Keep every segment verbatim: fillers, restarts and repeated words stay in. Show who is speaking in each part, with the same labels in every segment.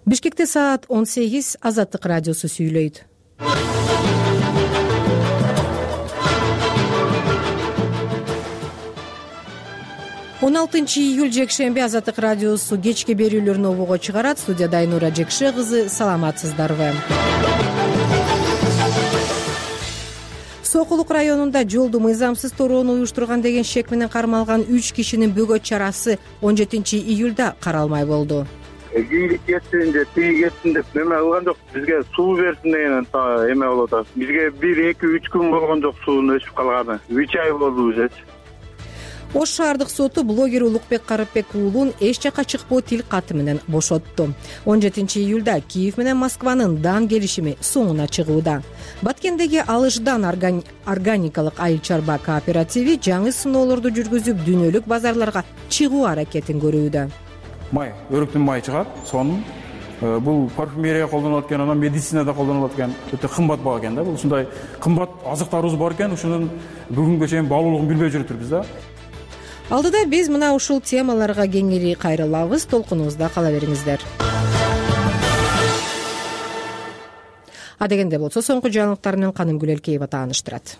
Speaker 1: Бишкекте саат он сегиз. Азаттык радиосу сүйлөйт. он алтынчы июль жекшемби. Азаттык радиосу кечки берүүлөрүн обого чыгарат. Студияда Айнура Жекше кызы. Саламатсыздарбы? Сокулук районунда жолду мыйзамсыз torоону уюштурган деген шек менен кармалган үч кишинин бөгөт чарасы он жетинчи июлда каралмай болду.
Speaker 2: Кийиги кетсин же тиги кетсин деп эме кылган жок. Бизге суу берсин деген эме болуп атат. Бизге бир эки үч күн болгон жок суунун өчүп калганы. үч ай болду уже.
Speaker 1: Ош шаардык соту блогер Улукбек Карыпбек уулун эч жакка чыкпоо тил каты менен бошотту. он жетинчи июлда Киев менен Москванын дан келишими соңуна чыгууда. Баткендеги Алышдан органи... органикалык айыл чарба кооперативи жаңы сыноолорду жүргүзүп, дүйнөлүк базарларга чыгуу аракетин көрүүдө.
Speaker 3: Май, өрүктүн майы чыгат. Сонун бул парфюмерия колдонулат экен, анан медицинада колдонулат экен. Өтө кымбат баа экен да. Бул ушундай кымбат азыктарыбыз бар экен, ушунун бүгүнгө чейин баалуулугун билбей жүрүптүрбүз да.
Speaker 1: Алдыда биз мына ушул темаларга кеңири кайрылабыз. Толкунубузда кала бериңиздер. Адегенде болсо соңку жаңылыктар менен Канымгүл Элкеева тааныштырат.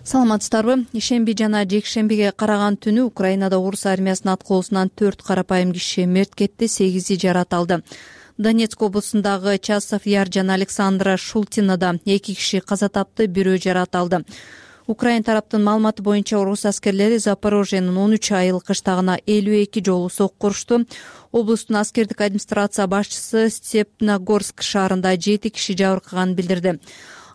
Speaker 4: Саламатсыздарбы? Ишемби жана жекшембиге караган түнү Украинада орус армиясынын аткоосунан төрт карапайым киши мерт кетти, сегизи жараталды. Донецк облусундагы Часов Яр жана Александра Шултинада эки киши каза тапты, бирөө жараталды. Украин тараптын маалыматы боюнча орус аскерлери Запорожьенин он үч айыл кыштагына элүү эки жолу сокку урушту. Облустун аскердик администрация башчысы Степногорск шаарында жети киши жабыркаганын билдирди.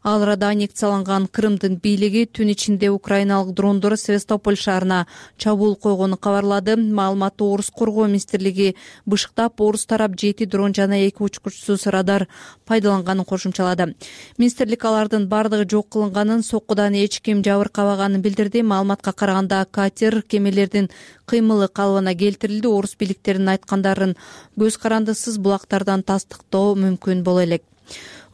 Speaker 4: Ал арада аннексияланган Крымдын бийлиги түн ичинде украиналык дрондор Севастополь шаарына чабуул койгонун кабарлады. Маалыматты орус коргоо министрлиги бышыктап, орус тарап жети дрон жана эки учкучсуз радар пайдаланганын кошумчалады. Министрлик алардын бардыгы жок кылынганын, соккудан эч ким жабыркабаганын билдирди. Маалыматка караганда катер кемелердин кыймылы калыбына келтирилди. Орус бийликтеринин айткандарын көз карандысыз булактардан тастыктоо мүмкүн боло элек.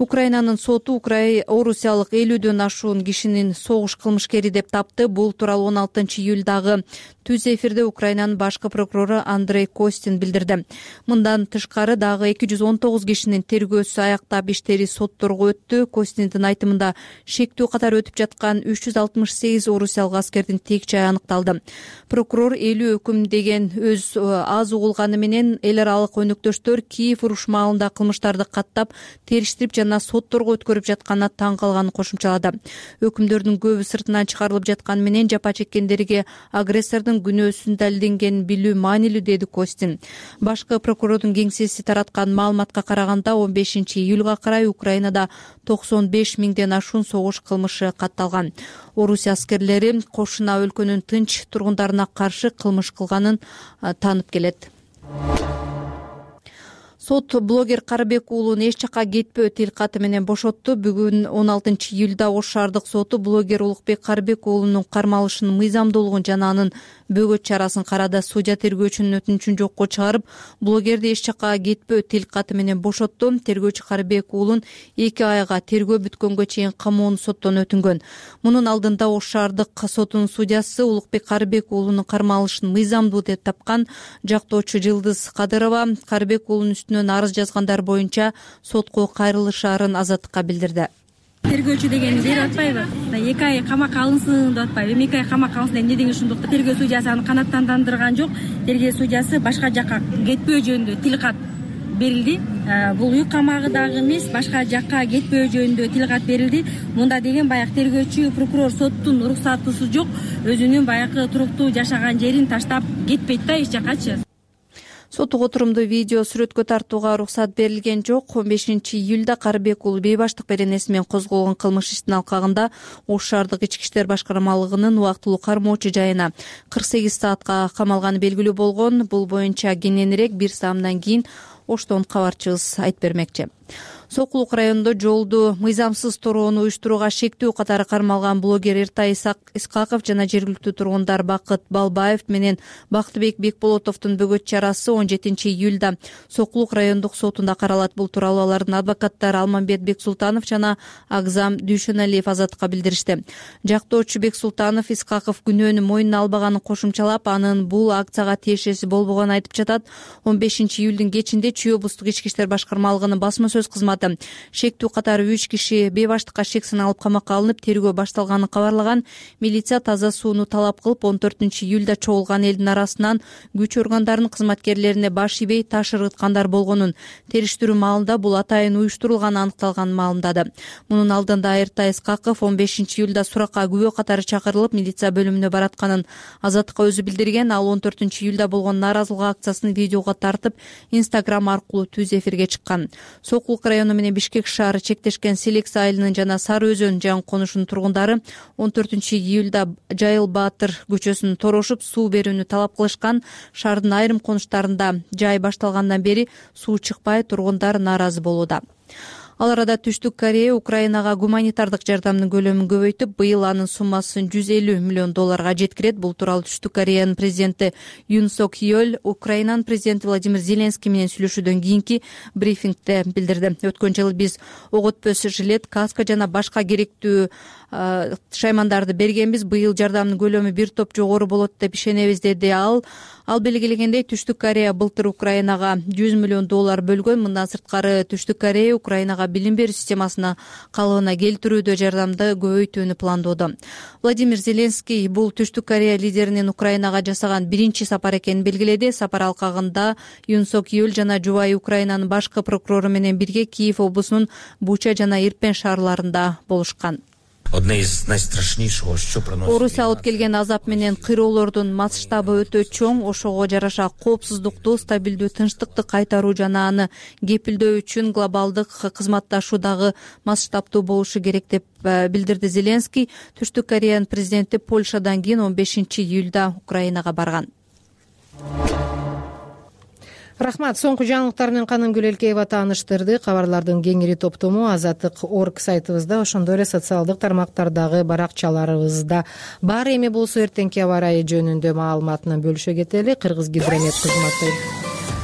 Speaker 4: Украинанын соту Украй орусиялык элүүдөн ашуун кишинин согуш кылмышкери деп тапты. Бул тууралуу он алтынчы июлдагы түз эфирде Украинанын башкы прокурору Андрей Костин билдирди. Мындан тышкары дагы эки жүз он тогуз кишинин тергөөсү аяктап иштери сотторго өттү. Костиндин айтымында шектүү катары өтүп жаткан үч жүз алтымыш сегиз орусиялык аскердин тек жайы аныкталды. Прокурор элүү өкүм деген өз аз угулганы менен эл аралык өнөктөштөр Киев уруш маалында кылмыштарды каттап, териштирип жана сотторго өткөрүп жатканына таң калганын кошумчалады. Өкүмдөрдүн көбү сыртынан чыгарылып жатканы менен жапа чеккендерге агрессордун күнөөсүн далилденгенин билүү маанилүү, деди Костин. Башкы прокурордун кеңсеси тараткан маалыматка караганда он бешинчи июлга карай Украинада токсон беш миңден ашуун согуш кылмышы катталган. Орусия аскерлери кошуна өлкөнүн тынч тургундарына каршы кылмыш кылганын таанып келет. Сот блогер Карыбек уулун эч жакка кетпөө тил каты менен бошотту. Бүгүн он алтынчы июлда Ош шаардык соту блогер Улукбек Карыбек уулунун кармалышынын мыйзамдуулугун жана анын бөгөт чарасын карады. Судья тергөөчүнүн өтүнүчүн жокко чыгарып, блогерди эч жакка кетпөө тил каты менен бошотту. Тергөөчү Карыбек уулун эки айга тергөө бүткөнгө чейин камоону соттон өтүнгөн. Мунун алдында Ош шаардык сотунун судьясы Улукбек Карыбек уулунун кармалышын мыйзамдуу деп тапкан жактоочу Жылдыз Кадырова Карыбек уулунун үстүнө арыз жазгандар боюнча сотко кайрылышаарын Азаттыкка билдирди.
Speaker 5: Тергөөчү дегени берип атпайбы? эки ай камакка алынсын деп атпайбы? эки ай камакка алынсын эмне деген ошондук? Тергөө судьясы аны канааттандырган жок. Тергөө судьясы башка жакка кетпөө жөнүндө тил кат берилди. Бул үй камагы дагы эмес, башка жакка кетпөө жөнүндө тил кат берилди. Мунда деген баягы тергөөчү прокурор соттун уруксатысы жок, өзүнүн баягы туруктуу жашаган жерин таштап кетпейт да эч жаккачы.
Speaker 4: Соттук отурумду видео сүрөткө тартууга уруксат берилген жок. он бешинчи июлда Карыбек уулу бейбаштык беренеси менен козголгон кылмыш иштин алкагында Ош шаардык ички иштер башкармалыгынын убактылуу кармоочу жайына кырк сегиз саатка камалганы белгилүү болгон. Бул боюнча кененирээк бир саамдан кийин Оштон кабарчыбыз айтып бермекчи. Сокулук районунда жолду мыйзамсыз torоону уюштурууга шектүү катары кармалган блогер Эртай Исаков жана жергиликтүү тургундар Бакыт Балбаев менен Бактыбек Бекболотовдун бөгөт чарасы он жетинчи июлда Сокулук райондук сотунда каралат. Бул тууралуу алардын адвокаттары Алмамбет Бексултанов жана Агзам Дүйшөналиев Азаттыкка билдиришти. Жактоочу Бексултанов Исаков күнөөнү мойнуна албаганын кошумчалап, анын бул акцияга тиешеси болбогонун айтып жатат. он бешинчи июлдун кечинде Чүй облустук ички иштер башкармалыгынын басма сөз кызматы шектүү катары үч киши бейбаштыкка шек саналып камакка алынып, тергөө башталганын кабарлаган. Милиция таза сууну талап кылып, он төртүнчү июлда чогулган элдин арасынан күч органдарынын кызматкерлерине баш ийбей таш ыргыткандар болгонун, териштирүү маалында бул атайын уюштурулганы аныкталганын маалымдады. Мунун алдында Эртай Исаков он бешинчи июлда суракка күбө катары чакырылып, милиция бөлүмүнө баратканын Азаттыкка өзү билдирген. Ал он төртүнчү июлда болгон нааразылык акциясын видеого тартып, Instagram аркылуу түз эфирге чыккан. Сокулук району менен Бишкек шаары чектешкен Селекс айылынын жана Сары Өзөн жаңы конушунун тургундары он төртүнчү июлда Жайыл Баатыр көчөсүн торошуп, суу берүүнү талап кылышкан. Шаардын айрым конуштарында жай башталгандан бери суу чыкпай, тургундар нааразы болууда. Ал арада Түштүк Корея Украинага гуманитардык жардамдын көлөмүн көбөйтүп, быйыл анын суммасын жүз элүү миллион долларга жеткирет. Бул тууралуу Түштүк Кореянын президенти Юн Сок Йоль Украинанын президенти Владимир Зеленский менен сүйлөшүүдөн кийинки брифингде билдирди. Өткөн жылы биз ок өтпөс жилет, каска жана башка керектүү шаймандарды бергенбиз. Быйыл жардамдын көлөмү бир топ жогору болот деп ишенебиз, деди ал. Ал белгилегендей, Түштүк Корея былтыр Украинага жүз миллион доллар бөлгөн. Мындан сырткары Түштүк Корея Украинага билим берүү системасына калыбына келтирүүдө жардамды көбөйтүүнү пландоодо. Владимир Зеленский бул Түштүк Корея лидеринин Украинага жасаган биринчи сапар экенин белгиледи. Сапар алкагында Юн Сок Йоль жана жубайы Украинанын башкы прокурору менен бирге Киев облусунун Буча жана Ирпен шаарларында болушкан. Орусия алып келген азап менен кыйроолордун масштабы өтө чоң. Ошого жараша коопсуздукту, стабилдүү тынчтыкты кайтаруу жана аны кепилдөө үчүн глобалдык кызматташуудагы масштабтуу болушу керек деп билдирди Зеленский. Түштүк Кореянын президенти Польшадан кийин он бешинчи июлда Украинага барган.
Speaker 1: Рахмат. Соңку жаңылыктар менен Канымгүл Элкеева тааныштырды. Кабарлардын кеңири топтому азаттык точка орг сайтыбызда, ошондой эле социалдык тармактардагы баракчаларыбызда бар. Эми болсо эртеңки аба ырайы жөнүндө маалымат менен бөлүшө кетели. Кыргызгидромет кызматы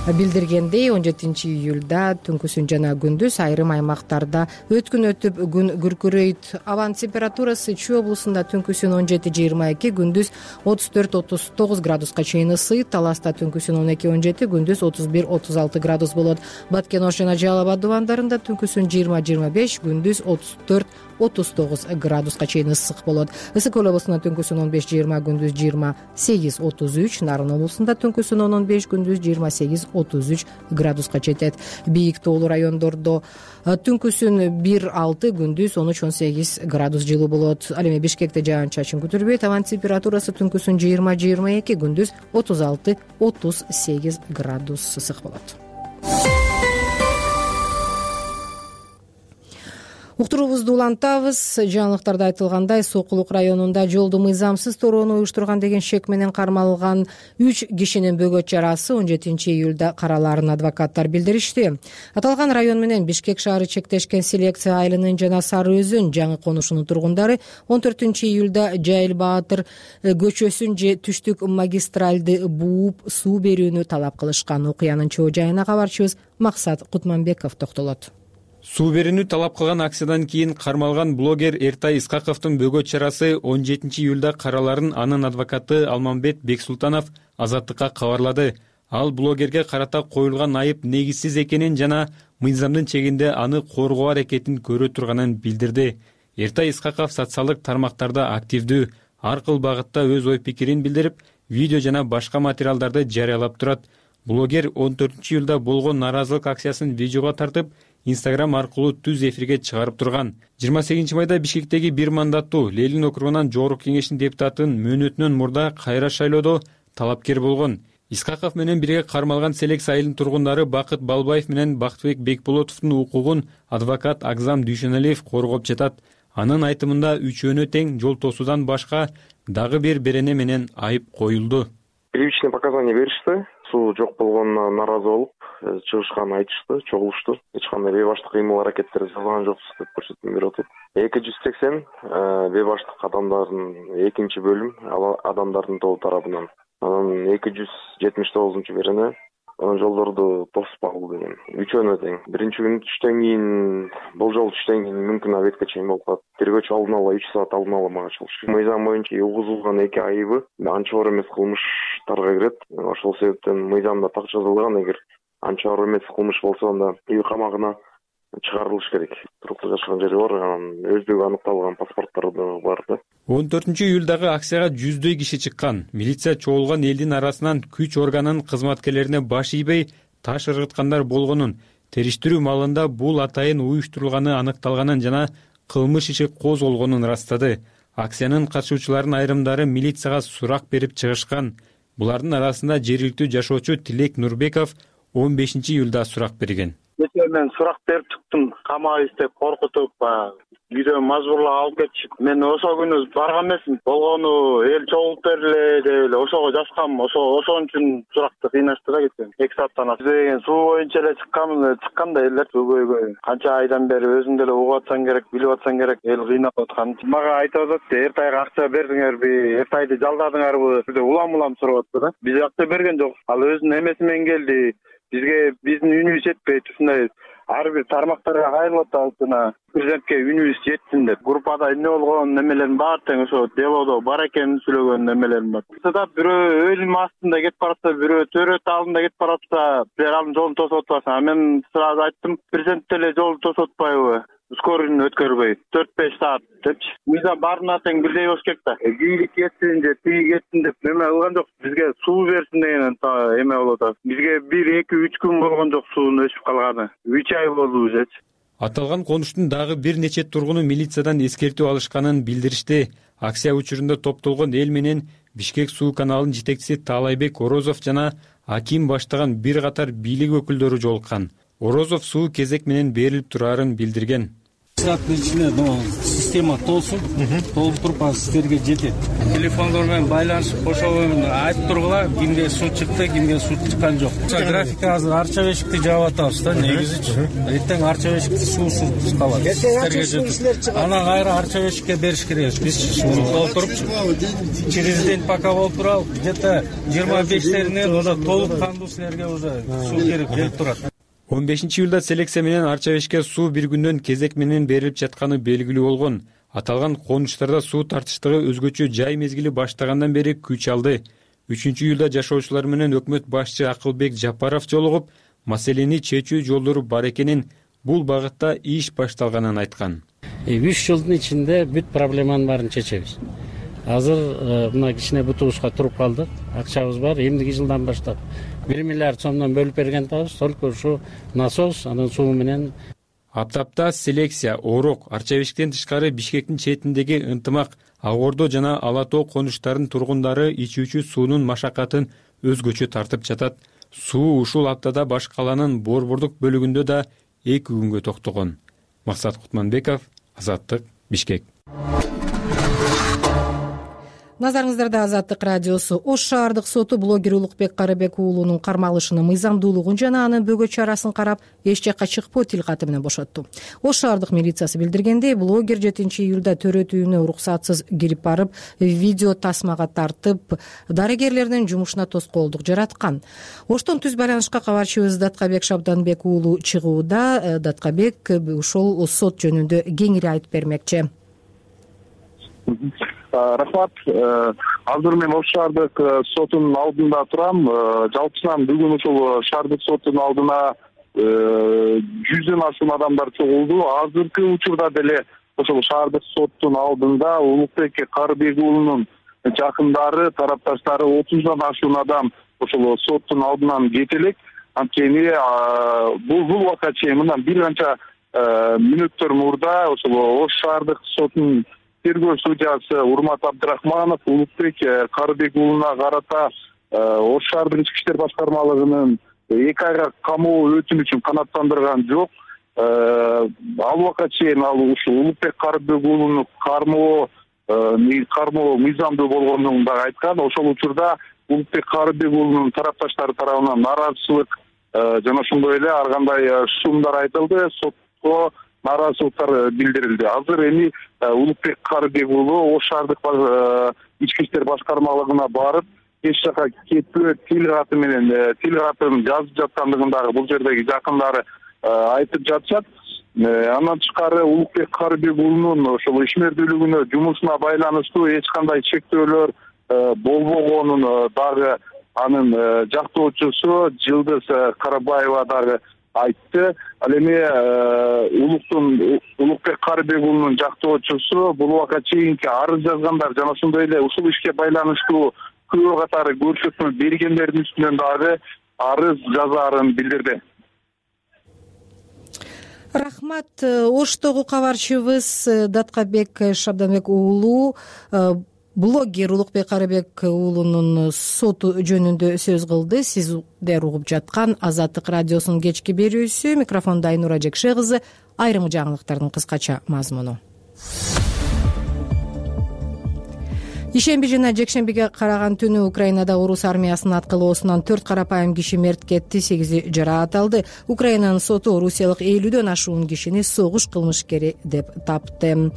Speaker 1: билдиргендей, он жетинчи июлда түнкүсүн жана күндүз айрым аймактарда өткүн өтүп күн күркүрөйт. Абанын температурасы Чүй облусунда түнкүсүн он жети жыйырма эки, күндүз отуз төрт отуз тогуз градуска чейин ысыйт. Таласта түнкүсүн он эки он жети, күндүз отуз бир отуз алты градус болот. Баткен Ош жана Жалал Абад дубандарында түнкүсүн жыйырма жыйырма беш, күндүз отуз төрт отуз тогуз градуска чейин ысык болот. Ысык көл облусунда түнкүсүн он беш жыйырма, күндүз жыйырма сегиз отуз үч, Нарын облусунда түнкүсүн он он беш, күндүз жыйырма сегиз отуз үч градуска жетет. Бийик тоолуу райондордо түнкүсүн бир алты, күндүз он үч он сегиз градус жылуу болот. Ал эми Бишкекте жаан чачын күтүлбөйт. Абанын температурасы түнкүсүн жыйырма жыйырма эки, күндүз отуз алты отуз сегиз градус ысык болот. Уктуруубузду улантабыз. Жаңылыктарда айтылгандай, Сокулук районунда жолду мыйзамсыз torоону уюштурган деген шек менен кармалган үч кишинин бөгөт чарасы он жетинчи июлда караларын адвокаттар билдиришти. Аталган район менен Бишкек шаары чектешкен Селекс айылынын жана Сары Өзөн жаңы конушунун тургундары он төртүнчү июлда Жайыл Баатыр көчөсүн же түштүк магистралды бууп суу берүүнү талап кылышкан. Окуянын чоо жайына кабарчыбыз Максат Кутманбеков токтолот.
Speaker 6: Суу берүүнү талап кылган акциядан кийин кармалган блогер Эртай Исаковдун бөгөт чарасы он жетинчи июлда караларын анын адвокаты Алмамбет Бексултанов Азаттыкка кабарлады. Ал блогерге карата коюлган айып негизсиз экенин жана мыйзамдын чегинде аны коргоо аракетин көрө турганын билдирди. Эртай Исаков социалдык тармактарда активдүү, ар кыл багытта өз ой пикирин билдирип, видео жана башка материалдарды жарыялап турат. Блогер он төртүнчү июлда болгон нааразылык акциясын видеого тартып, Instagram аркылуу түз эфирге чыгарып турган. жыйырма сегизинчи майда Бишкектеги бир мандаттуу Ленин округунан жогорку кеңештин депутатынын мөөнөтүнөн мурда кайра шайлоодо талапкер болгон. Исаков менен бирге кармалган Селекс айылынын тургундары Бакыт Балбаев менен Бактыбек Бекболотовдун укугун адвокат Агзам Дүйшөналиев коргоп жатат. Анын айтымында үчөөнө тең жол тосуудан башка дагы бир берене менен айып коюлду.
Speaker 7: Первичный показания беришти. Суу жок болгонуна нааразы болуп, чыгышканын айтышты, чогулушту. Эч кандай бейбаштык кыймыл аракеттер жасалган жокпуз деп көрсөтмө берип атат. эки жүз сексен бейбаштык адамдардын экинчи бөлүм адамдардын тобу тарабынан, анан эки жүз жетимиш тогузунчу берене жолдорду тоспагыл деген. Үчөөнө тең. Биринчи күн түштөн кийин, болжол түштөн кийин мүмкүн обедке чейин болуп калат. Тергөөчү алдын ала үч саат алдын ала мага чалышты. Мыйзам боюнча угузулган эки айыбы анча оор эмес кылмыштарга кирет. Ошол себептен мыйзамда так жазылган, эгер анча оор эмес кылмыш болсо анда үй камагына чыгарылыш керек. Туруктуу жашаган жери бар, анан өздүгү аныкталган паспорттор да бар да.
Speaker 6: он төртүнчү июлдагы акцияга жүздөй киши чыккан. Милиция чогулган элдин арасынан күч органынын кызматкерлерине баш ийбей таш ыргыткандар болгонун, териштирүү маалында бул атайын уюштурулганы аныкталганын жана кылмыш иши козголгонун ырастады. Акциянын катышуучуларынын айрымдары милицияга сурак берип чыгышкан. Булардын арасында жергиликтүү жашоочу Тилек Нурбеков он бешинчи июлда сурак берген.
Speaker 2: Мен сурак берип чыктым, камап издеп, коркутуп, үйдөн мажбурлап алып кетишип. Мен ошол күнү барган эмесмин. Болгону эл чогулуп берле деп эле ошого жазгам. Ошо ошон үчүн суракты кыйнашты да кеткен. эки сааттан аш. Деген суу боюнча эле чыккан, чыкканда элдер көбөйгөн. Канча айдан бери өзүң деле угуп атсаң керек, билип атсаң керек, эл кыйнап аткан. Мага айтып атат, эртайга акча бердиңерби, эртайды жалдадыңарбы деп улам-улам сурап атты да. Биз акча берген жок. Ал өзүнүн эмеси менен келди. Бизге биздин үнүбүз жетпейт, ушундай ар бир тармактарга кайрылып атабыз жана президентке үнүбүз жетсин деп. Группада эмне болгон немелерин баары тең ошо делодо бар экенин сүйлөгөн немелерин бар. Сада бирөө өлүм астында кетип баратса, бирөө төрөт алдында кетип баратса, силер анын жолун тосуп атпасың. Мен сразу айттым, президент деле жолду тосуп атпайбы? Скорыйны өткөрбөй төрт беш саат депчи. Мыйзам баарына тең бирдей болуш керек да. Кийинки кетсин же тиги кетсин деп неме кылган жок. Бизге суу берсин деген эме болуп атат. Бизге бир эки үч күн болгон жок суунун өчүп калганы. үч ай болду ужечи.
Speaker 6: Аталган конуштун дагы бир нече тургуну милициядан эскертүү алышканын билдиришти. Акция учурунда топтолгон эл менен Бишкек суу каналынын жетекчиси Таалайбек Орозов жана Аким баштаган бир катар бийлик өкүлдөрү жолуккан. Орозов суу кезек менен берилип турарын билдирген.
Speaker 8: Сааттын ичинде система толсун, толуп туруп анан сиздерге жетет. Телефондор менен байланышып ошол менен айтып тургула, кимге суу чыкты, кимге суу чыккан жок. Графикте азыр Арча бешикти жаап атабыз да, негизичи. Эртең Арча бешикти суусуз калат. Сиздерге жетет. Анан кайра Арча бешикке бериш керек. Биз сууну толтурупчу. Через день пока болуп турабы, где-то жыйырма бештеринен ода толуп кандуу силерге уже суу керек келип турат.
Speaker 6: он бешинчи июлда селекция менен Арча бешикке суу бир күндөн кезек менен берилип жатканы белгилүү болгон. Аталган конуштарда суу тартыштыгы өзгөчө жай мезгили баштагандан бери күч алды. үчүнчү июлда жашоочулар менен өкмөт башчы Акылбек Жапаров жолугуп, маселени чечүү жолдору бар экенин, бул багытта иш башталганын айткан.
Speaker 9: үч жылдын ичинде бүт проблеманын баарын чечебиз. Азыр мына кичине бутубузга туруп калдык. Акчабыз бар. Эмдиги жылдан баштап бир миллиард сомдон бөлүп берген атабыз. Только ушу насос, анан суу менен.
Speaker 6: Аптапта селекция, Орок, Арча бешиктен тышкары Бишкектин четиндеги Ынтымак, Агордо жана Ала Тоо конуштарынын тургундары ичүүчү суунун машакатын өзгөчө тартып жатат. Суу ушул аптада баш калаанын Борбордук бөлүгүндө да эки күнгө токтогон. Максат Кутманбеков, Азаттык, Бишкек.
Speaker 1: Назарыңыздарда Азаттык радиосу. Ош шаардык соту блогер Улукбек Карыбек уулунун кармалышынын мыйзамдуулугун жана анын бөгө чарасын карап, эч жакка чыкпоо тил каты менен бошотту. Ош шаардык милициясы билдиргендей, блогер жетинчи июлда төрөт үйүнө уруксатсыз кирип барып, видео тасмага тартып, дарыгерлердин жумушуна тоскоолдук жараткан. Оштон түз байланышка кабарчыбыз Даткабек Шабданбек уулу чыгууда. Даткабек ушул сот жөнүндө кеңири айтып бермекчи.
Speaker 10: Рахмат. Азыр мен Ош шаардык сотунун алдында турам. Жалпысынан бүгүн ушул шаардык сотунун алдына жүздөн ашуун адамдар чогулду. Азыркы учурда деле ошол шаардык соттун алдында Улукбек Карыбек уулунун жакындары, тарапташтары отуздан ашуун адам ошол соттун алдынан кете элек. Анткени бул бул убакка чейин мындан бир канча мүнөттөр мурда ошол Ош шаардык сотунун тергөө судьясы Урмат Абдрахманов Улукбек Карыбек уулуна карата Ош шаардык ички иштер башкармалыгынын эки айга камоо өтүнү үчүн канааттандырган жок. Ал убакка чейин ал ушул Улукбек Карыбек уулуну кармоо кармоо мыйзамдуу болгондугун дагы айткан. Ошол учурда Улукбек Карыбек уулунун тарапташтары тарабынан нааразычылык жана ошондой эле ар кандай шумдар айтылды, сотко нааразычылыктар билдирилди. Азыр эми Улукбек Карыбек уулу Ош шаардык ички иштер башкармалыгына барып, эч жака кетпөө тил каты менен тил катын жазып жаткандыгын дагы бул жердеги жакындары айтып жатышат. Андан тышкары Улукбек Карыбек уулунун ошол ишмердүүлүгүнө, жумушуна байланыштуу эч кандай чектөөлөр болбогонун дагы анын жактоочусу Жылдыз Карабаева дагы айтты. Ал эми Улуктун Улукбек Карыбек уулунун жактоочусу бул убакка чейинки арыз жазгандар жана ошондой эле ушул ишке байланыштуу күбө катары көрсөтмө бергендердин үстүнөн дагы арыз жазаарын билдирди.
Speaker 1: Рахмат. Оштогу кабарчыбыз Даткабек Шабданбек уулу блогер Улукбек Карыбек уулунун соту жөнүндө сөз кылды. Сиздер угуп жаткан Азаттык радиосунун кечки берүүсү. Микрофондо Айнура Жекше кызы. Айрым жаңылыктардын кыскача мазмуну. Ишемби жана жекшембиге караган түнү Украинада орус армиясынын аткылоосунан төрт карапайым киши мерт кетти, сегизи жараат алды. Украинанын соту орусиялык элүүдөн ашуун кишини согуш кылмышкери деп тапты.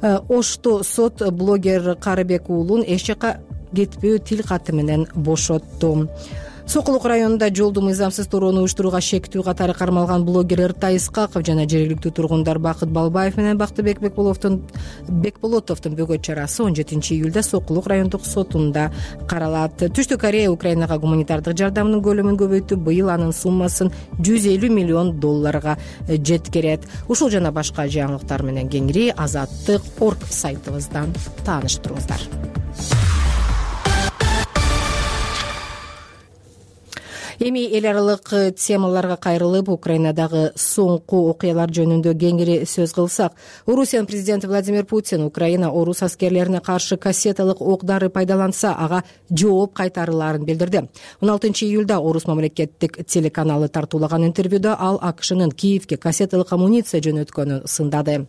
Speaker 1: Ошто сот блогер Карыбек уулун эч жака кетпөө тил каты менен бошотту. Сокулук районунда жолду мыйзамсыз турууну уюштурууга шектүү катары кармалган блогер Эртай Искаков жана жергиликтүү тургундар Бакыт Балбаев менен Бактыбек Бекболотовдун бөгөт чарасы он жетинчи июлда Сокулук райондук сотунда каралат. Түштүк Корея Украинага гуманитардык жардамдын көлөмүн көбөйтүп, быйыл анын суммасын жүз элүү миллион долларга жеткирет. Ушул жана башка жаңылыктар менен кеңири азаттык точка орг сайтыбыздан тааныштырыңыздар. Эми эл аралык темаларга кайрылып, Украинадагы соңку окуялар жөнүндө кеңири сөз кылсак, Орусиянын президенти Владимир Путин Украина орус аскерлерине каршы кассеталык ок-дары пайдаланса, ага жооп кайтарылаарын билдирди. он алтынчы июлда Орус мамлекеттик телеканалы тартуулаган интервьюда ал АКШнын Киевке кассеталык амуниция жөнөткөнүн сындады.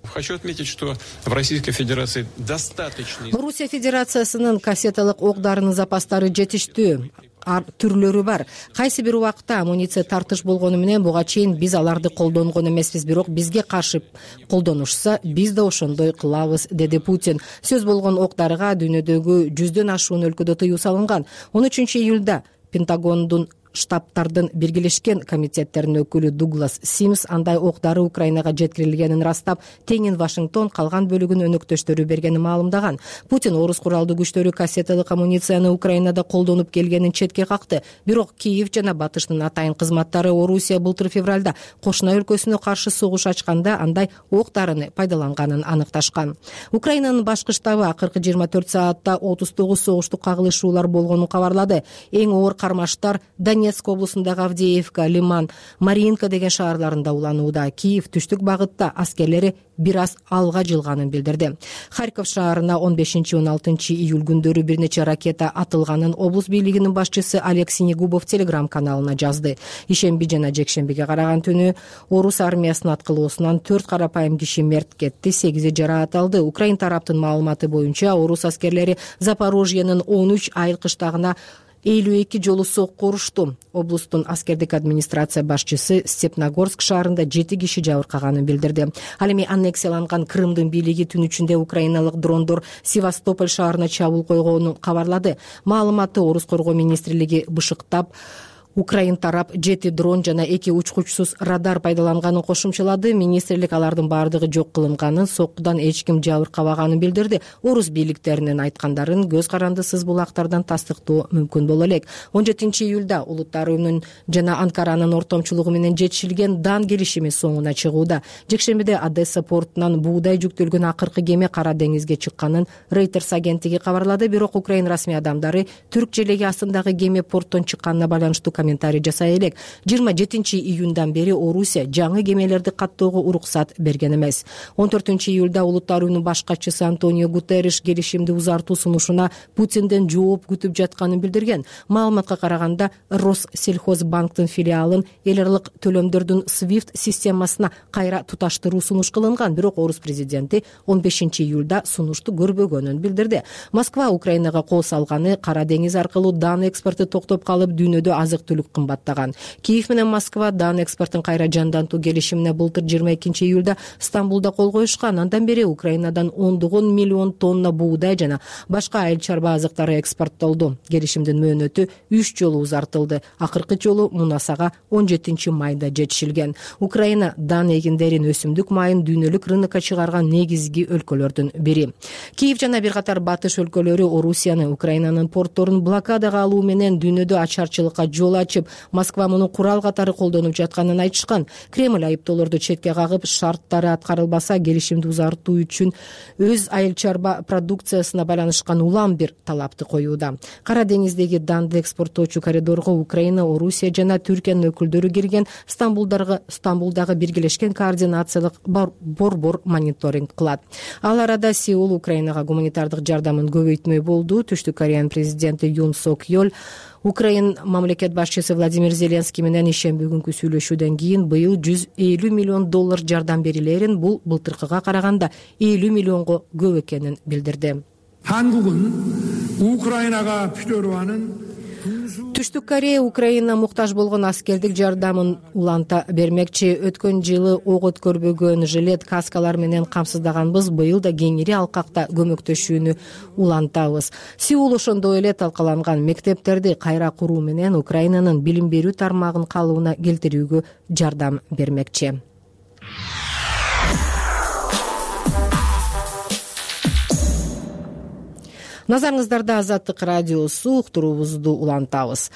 Speaker 11: Хочу отметить, что в Российской Федерации достаточно...
Speaker 1: Орусия Федерациясынын кассеталык ок-дарынын запастары жетиштүү. Түрлөрү бар. Кайсы бир убакта амуниция тартыш болгону менен буга чейин биз аларды колдонгон эмеспиз, бирок бизге каршы колдонушса, биз да ошондой кылабыз, деди Путин. Сөз болгон ок-дарыга дүйнөдөгү жүздөн ашуун өлкөдө тыюу салынган. он үчүнчү июлда Пентагондун штабтардын биргелешкен комитеттеринин өкүлү Дуглас Симс андай ок-дары Украинага жеткирилгенин растап, теңин Вашингтон калган бөлүгүн өнөктөштөрү бергенин маалымдаган. Путин орус куралдуу күчтөрү кассеталык амуницияны Украинада колдонуп келгенин четке какты. Бирок Киев жана Батыштын атайын кызматтары Орусия былтыр февралда кошуна өлкөсүнө каршы согуш ачканда андай ок-дарыны пайдаланганын аныкташкан. Украинанын башкы штабы акыркы жыйырма төрт саатта отуз тогуз согуштук кагылышуулар болгонун кабарлады. Эң оор кармаштар Донецк облусундагы Авдеевка, Лиман, Маринка деген шаарларында уланууда. Киев түштүк багытта аскерлери бир аз алга жылганын билдирди. Харьков шаарына он бешинчи он алтынчы июль күндөрү бир нече ракета атылганын облус бийлигинин башчысы Олег Синегубов телеграм каналына жазды. Ишемби жана жекшембиге караган түнү орус армиясынын аткылоосунан төрт карапайым киши мерт кетти, сегизи жараат алды. Украин тараптын маалыматы боюнча орус аскерлери Запорожьенин он үч айыл кыштагына элүү эки жолу сокку урушту. Облустун аскердик администрация башчысы Степногорск шаарында жети киши жабыркаганын билдирди. Ал эми аннексияланган Крымдын бийлиги түн ичинде украиналык дрондор Севастополь шаарына чабуул койгонун кабарлады. Маалыматты Орус коргоо министрлиги бышыктап, Украин тарап жети дрон жана эки учкучсуз радар пайдаланганын кошумчалады. Министрлик алардын баардыгы жок кылынганын, соккудан эч ким жабыркабаганын билдирди. Орус бийликтеринин айткандарын көз карандысыз булактардан тастыктоо мүмкүн боло элек. он жетинчи июлда Улуттар уюмунун жана Анкаранын ортомчулугу менен жетишилген дан келишими соңуна чыгууда. Жекшембиде Одесса портунан буудай жүктөлгөн акыркы кеме Кара деңизге чыкканын Reuters агенттиги кабарлады. Бирок Украин расмий адамдары түрк желеги астындагы кеме порттон чыкканына байланыштуу комментарий жасай элек. жыйырма жетинчи июндан бери Орусия жаңы кемелерди каттоого уруксат берген эмес. он төртүнчү июлда Улуттар уюмунун баш катчысы Антонио Гутерриш келишимди узартуу сунушуна Путинден жооп күтүп жатканын билдирген. Маалыматка караганда Россельхозбанктын филиалын эл аралык төлөмдөрдүн свифт системасына кайра туташтыруу сунуш кылынган, бирок орус президенти он бешинчи июлда сунушту көрбөгөнүн билдирди. Москва Украинага кол салганы Кара деңиз аркылуу дан экспорту токтоп калып, дүйнөдө азык күнүгө кымбаттаган. Киев менен Москва дан экспортун кайра жандантуу келишимине былтыр жыйырма экинчи июлда Стамбулда кол коюшкан. Андан бери Украинадан ондогон миллион тонна буудай жана башка айыл чарба азыктары экспорттолду. Келишимдин мөөнөтү үч жолу узартылды. Акыркы жолу мунасага он жетинчи майда жетишилген. Украина дан эгиндерин, өсүмдүк майын дүйнөлүк рынокко чыгарган негизги өлкөлөрдүн бири. Киев жана бир катар батыш өлкөлөрү Орусияны, Украинанын портторун блокадага алуу менен дүйнөдө ачарчылыкка жол ачып, Москва муну курал катары колдонуп жатканын айтышкан. Кремль айыптоолорду четке кагып, шарттары аткарылбаса келишимди узартуу үчүн өз айыл чарба продукциясына байланышкан улам бир талапты коюуда. Кара деңиздеги данды экспорттоочу коридорго Украина, Орусия жана Түркиянын өкүлдөрү кирген. Стамбулдагы Стамбулдагы биргелешкен координациялык борбор мониторинг кылат. Ал арада Сеул Украинага гуманитардык жардамын көбөйтмөй болду. Түштүк Кореянын президенти Юн Сок Йол Украин мамлекет башчысы Владимир Зеленский менен ишемби күнкү сүйлөшүүдөн кийин быйыл жүз элүү миллион доллар жардам берилерин, бул былтыркыга караганда элүү миллионго көп экенин билдирди. Түштүк Корея Украина муктаж болгон аскердик жардамын уланта бермекчи. Өткөн жылы ок өткөрбөгөн жилет каскалар менен камсыздаганбыз. Быйыл да кеңири алкакта көмөктөшүүнү улантабыз. Сеул ошондой эле талкаланган мектептерди кайра куруу менен Украинанын билим берүү тармагын калыбына келтирүүгө жардам бермекчи. Назарыңыздарда Азаттык радиосу, уктуруубузду улантабыз.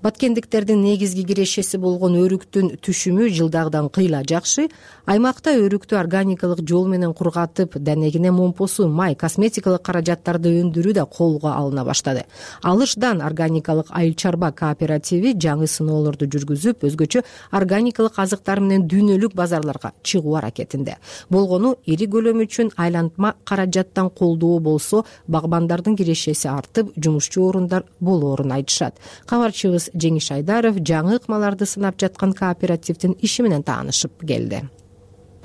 Speaker 1: Баткендиктердин негизги кирешеси болгон өрүктүн түшүмү жылдагыдан кыйла жакшы. Аймакта өрүктү органикалык жол менен кургатып, данегине момпосу, май, косметикалык каражаттарды өндүрүү да колго алына баштады. Алышдан органикалык айыл чарба кооперативи жаңы сыноолорду жүргүзүп, өзгөчө органикалык азыктар менен дүйнөлүк базарларга чыгуу аракетинде. Болгону ири көлөм үчүн айлантма каражаттан колдоо болсо, багбандардын кирешеси артып, жумушчу орундар болоорун айтышат. Кабарчыбыз Жеңиш Айдаров жаңы ыкмаларды сынап жаткан кооперативдин иши менен таанышып келди.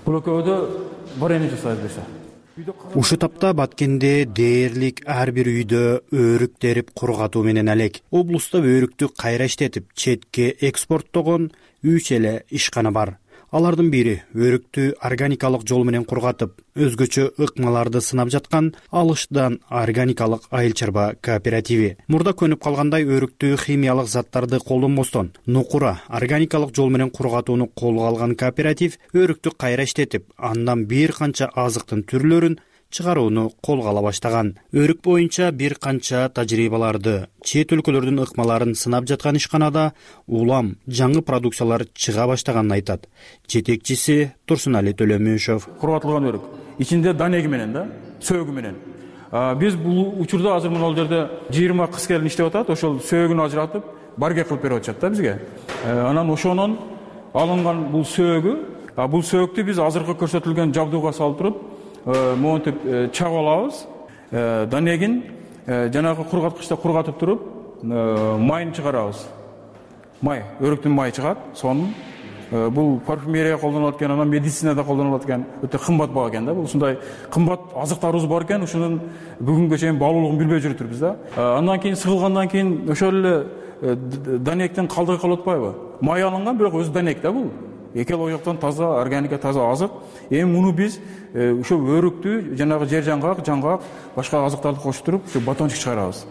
Speaker 3: Бул экөөдө варенье жасайбыз десе.
Speaker 12: Ушу тапта Баткенде дээрлик ар бир үйдө өрүк терип кургатуу менен алек. Облуста өрүктү кайра иштетип, четке экспорттогон үч эле ишкана бар. Алардын бири өрүктү органикалык жол менен кургатып, өзгөчө ыкмаларды сынап жаткан Алышдан органикалык айыл чарба кооперативи. Мурда көнүп калгандай өрүктү химиялык заттарды колдонбостон нукура органикалык жол менен кургатууну колго алган кооператив өрүктү кайра иштетип, андан бир канча азыктын түрлөрүн чыгарууну колго ала баштаган. Өрүк боюнча бир канча тажрыйбаларды, чет өлкөлөрдүн ыкмаларын сынап жаткан ишканада улам жаңы продукциялар чыга баштаганын айтат жетекчиси Турсунали Төлөмүшов.
Speaker 3: Кургатылган өрүк ичинде данеги менен да, сөөгү менен. Биз бул учурда азыр мына жерде жыйырма кыз келин иштеп атат, ошол сөөгүн ажыратып, барге кылып берип атышат да бизге. Анан ошонун алынган бул сөөгү, бул сөөгүктү биз азыркы көрсөтүлгөн жабдууга салып туруп, монтип чагып алабыз. Данегин жанагы кургаткычта кургатып туруп, майын чыгарабыз. Май, өрүктүн майы чыгат. Сонун бул парфюмерия колдонулат экен, анан медицинада колдонулат экен. Өтө кымбат баа экен да. Бул ушундай кымбат азыктарыбыз бар экен, ушунун бүгүнгө чейин баалуулугун билбей жүрүптүрбүз да. Андан кийин сыгылгандан кийин ошол эле данектен калдыгы калып атпайбы? Май алынган, бирок өзү данек да бул. Экел оюктан таза, органика таза азык. Эми муну биз ошо өрүктү жанагы жер жаңгак, жаңгак, башка азыктарды кошуп туруп, ошо батончик чыгарабыз.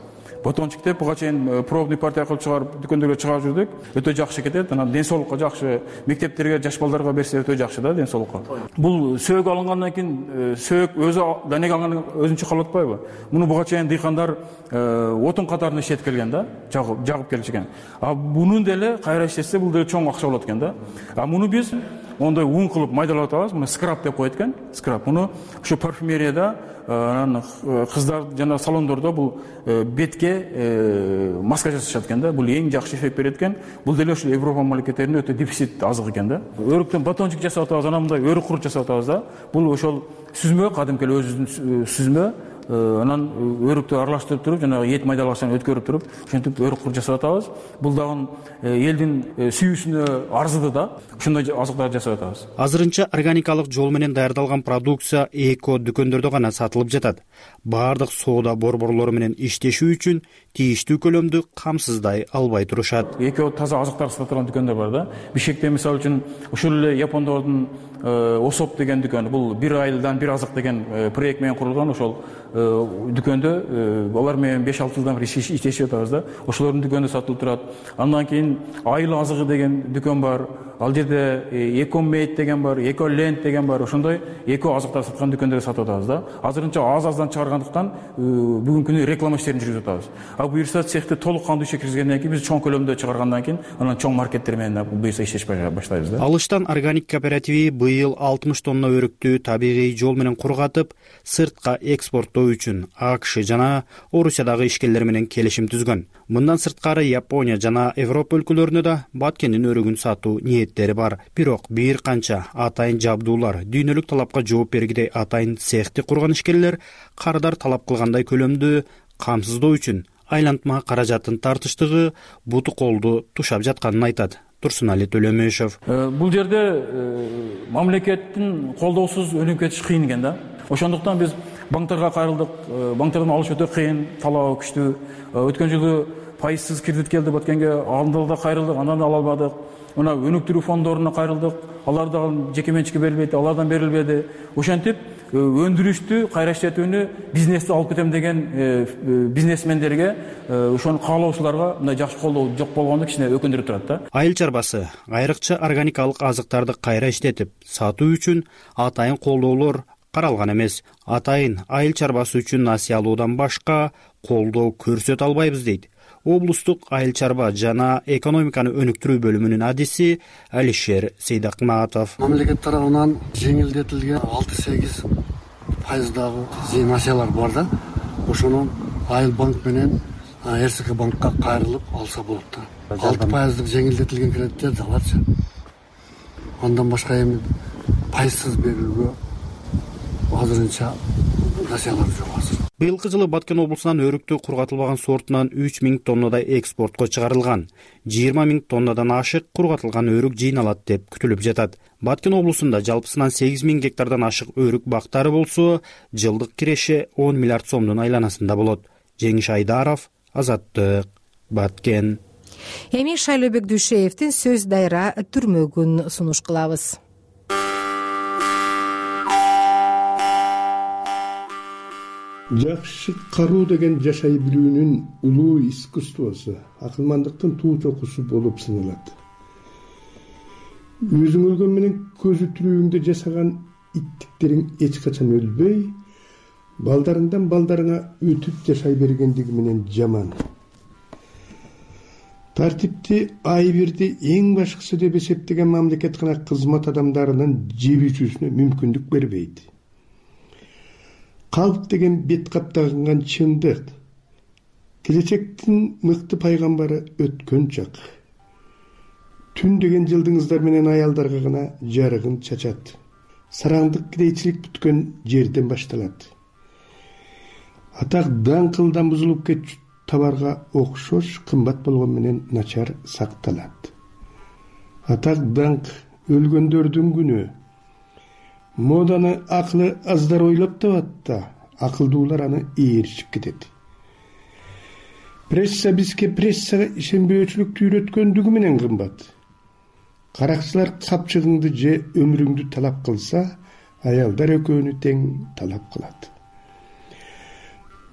Speaker 3: Батончик деп буга чейин пробный партия кылып чыгарып, дүкөндөргө чыгарып жүрдүк. Өтө жакшы кетет. Анан ден соолукка жакшы, мектептерге, жаш балдарга берсе өтө жакшы да, ден соолукка. Бул сөөгү алынгандан кийин сөök өзү данег алган өзүнчө калып атпайбы? Муну буга чейин дыйкандар отун катарында иштетип келген да, жагып жагып келишкен. А мунун деле кайра иштетсе бул деле чоң акча болот экен да. А муну биз ондой ун кылып майдалап атабыз. Муну скраб деп коет экен. Скраб. Муну ошо парфюмерияда, анан кыздар жана салондордо бул бетке маска жасашат экен да. Бул эң жакшы эффект берет экен. Бул деле ошо Европа мамлекеттеринде өтө дефицит азык экен да. Өрүктөн батончик жасап атабыз, анан мындай өрүк курут жасап атабыз да. Бул ошол сүзмө, кадимки өзүбүздүн сүзмө, анан өрүктү аралаштырып туруп жанагы эт майдалагычтан өткөрүп туруп ошентип өрүк кур жасап атабыз. Бул дагы элдин сүйүүсүнө арзыды да. Ошондой азыктарды жасап атабыз.
Speaker 12: Азырынча органикалык жол менен даярдалган продукция эко дүкөндөрдө гана сатылып жатат. Баардык соода борборлору менен иштешүү үчүн тийиштүү көлөмдү камсыздай албай турушат.
Speaker 3: Эко таза азыктар сатылган дүкөндөр бар да. Бишкекте мисалы үчүн ушул эле япондордун Осоп деген дүкөн, бул бир айылдан бир азык деген проект менен курулган. Ошол дүкөндө алар менен беш алты жылдан бери иштешип атабыз да. Ошолордун дүкөнүндө сатылып турат. Андан кийин айыл азыгы деген дүкөн бар. Ал жерде Экомейт деген бар, Эколенд деген бар. Ошондой эко азыктар саткан дүкөндөрдө сатып атабыз да. Азырынча аз-аздан чыгаргандыктан бүгүнкү күнү реклама иштерин жүргүзүп атабыз. А буюрса цехти толук кандуу ишке киргизгенден кийин биз чоң көлөмдө чыгаргандан кийин анан чоң маркеттер менен буюрса иштеш баштайбыз да.
Speaker 12: Алыштан органик кооперативи быйыл алтымыш тонна өрүктү табигый жол менен кургатып, сыртка экспорттоо үчүн АКШ жана Орусиядагы ишкерлер менен келишим түзгөн. Мындан сырткары Япония жана Европа өлкөлөрүнө да баткендин өрүгүн сатуу ниеттери бар. Бирок бир канча атайын жабдуулар, дүйнөлүк талапка жооп бергидей атайын цехти курган ишкерлер кардар талап кылгандай көлөмдү камсыздоо үчүн айлантма каражатын тартыштыгы буту колду тушап жатканын айтат Турсунали Төлөмөшов.
Speaker 3: Бул жерде мамлекеттин колдоосуз өнүгүп кетиш кыйын экен да. Ошондуктан биз банктарга кайрылдык. Банктардан алыш өтө кыйын, талабы күчтүү. Өткөн жылы пайызсыз кредит келди баткенге, анда да кайрылдык, андан да ала албадык. Мына өнүктүрүү фонддоруна кайрылдык. Алар дагы жеке менчикке берилбейт, алардан берилбеди. Ошентип өндүрүштү, кайра иштетүүнү, бизнести алып кетем деген бизнесмендерге, ошону каалоочуларга мындай жакшы колдоо жок болгондо кичине өкүндүрүп турат да.
Speaker 12: Айыл чарбасы айрыкча органикалык азыктарды кайра иштетип сатуу үчүн атайын колдоолор каралган эмес. Атайын айыл чарбасы үчүн насыя алуудан башка колдоо көрсөтө албайбыз дейт облустук айыл чарба жана экономиканы өнүктүрүү бөлүмүнүн адиси Алишер Сейдакматов.
Speaker 13: Мамлекет тарабынан жеңилдетилген алты сегиз пайыздагы насыялар бар да. Ошону Айыл банк менен РСК банкка кайрылып алса болот да. алты пайыздык жеңилдетилген кредиттерди аларчы. Андан башка эми пайызсыз берүүгө азырынча насыялар жок азыр.
Speaker 12: Быйылкы жылы Баткен облусунан өрүктү кургатылбаган сортунан үч миң тоннадай экспортко чыгарылган. жыйырма миң тоннадан ашык кургатылган өрүк жыйналат деп күтүлүп жатат. Баткен облусунда жалпысынан сегиз миң гектардан ашык өрүк бактары болсо, жылдык киреше он миллиард сомдун айланасында болот. Жеңиш Айдаров, Азаттык, Баткен.
Speaker 1: Эми Шайлообек Дүйшеевдин сөз дайра түрмөгүн сунуш кылабыз.
Speaker 14: Жакшы кароо деген жашай билүүнүн улуу искусствосу, акылмандыктын туу чокусу болуп саналат. Өзүң өлгөн менен көзү тирүүңдө жасаган иттиктериң эч качан өлбөй, балдарыңдан балдарыңа өтүп жашай бергендиги менен жаман. Тартипти айбирди эң башкысы деп эсептеген мамлекет гана кызмат адамдарынын жебүүсүнө мүмкүндүк бербейт. Калп деген бет каптаган чындык. Келечектин мыкты пайгамбары өткөн чак. Түн деген жылдыңыздар менен аялдарга гана жарыгын чачат. Сараңдык кирейчилик бүткөн жерден башталат. Атак даңкылдан бузулуп кетчү табарга окшош кымбат болгон менен начар сакталат. Атак даңк өлгөндөрдүн күнү. Моданы акылы аздар ойлоп табат да, акылдуулар аны ээришип кетет. Пресса бизге прессага ишенбөөчүлүктү үйрөткөндүгү менен кымбат. Каракчылар капчыгыңды же өмүрүңдү талап кылса, аялдар экөөнү тең талап кылат.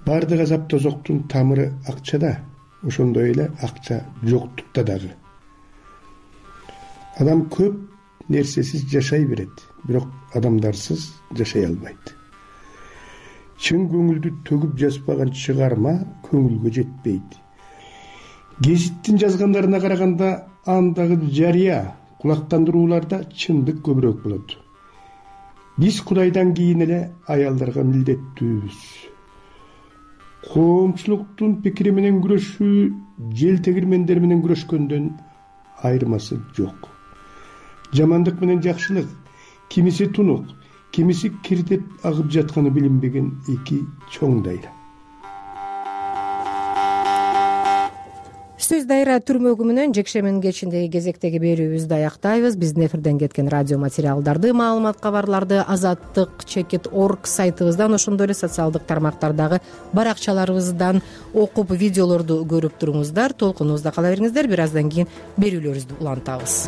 Speaker 14: Бардык азап тозоктун тамыры акчада, ошондой эле акча жоктукта дагы. Адам көп нерсесиз жашай берет, бирок адамдарсыз жашай албайт. Чын көңүлдү төгүп жазбаган чыгарма көңүлгө жетпейт. Гезиттин жазгандарына караганда андагы жарыя, кулактандырууларда чындык көбүрөөк болот. Биз Кудайдан кийин эле аялдарга милдеттүүбүз. Коомчулуктун пикири менен күрөшүү жел тегирмендер менен күрөшкөндөн айырмасы жок. Жамандык менен жакшылык, кимиси тунук, кимиси кирдеп агып жатканы билинбеген эки чоң дайра.
Speaker 1: Сөз дайра түрмөгү менен жекшембинин кечиндеги кезектеги берүүбүздү аяктайбыз. Биздин эфирден кеткен радио материалдарды, маалымат кабарларды азаттык чекит орг сайтыбыздан, ошондой эле социалдык тармактардагы баракчаларыбыздан окуп, видеолорду көрүп туруңуздар. Толкунубузда кала бериңиздер. Бир аздан кийин берүүлөрүбүздү улантабыз.